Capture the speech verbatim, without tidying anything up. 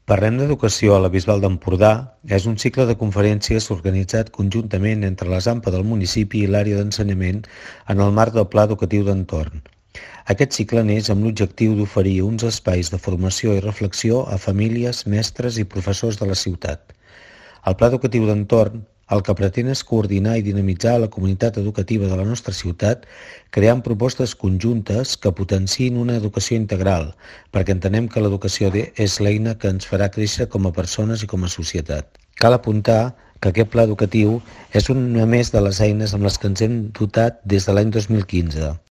Parlem d'Educació a la Bisbal d'Empordà és un cicle de conferències organitzat conjuntament entre l'A S A M P del municipi i l'àrea d'ensenyament en el marc del Pla Educatiu d'Entorn. Aquest cicle neix amb l'objectiu d'oferir uns espais de formació i reflexió a famílies, mestres i professors de la ciutat. El Pla Educatiu d'Entorn el que pretén és coordinar i dinamitzar la comunitat educativa de la nostra ciutat creant propostes conjuntes que potenciïn una educació integral, perquè entenem que l'educació és l'eina que ens farà créixer com a persones i com a societat. Cal apuntar que aquest pla educatiu és una més de les eines amb les que ens hem dotat des de l'any dos mil quinze.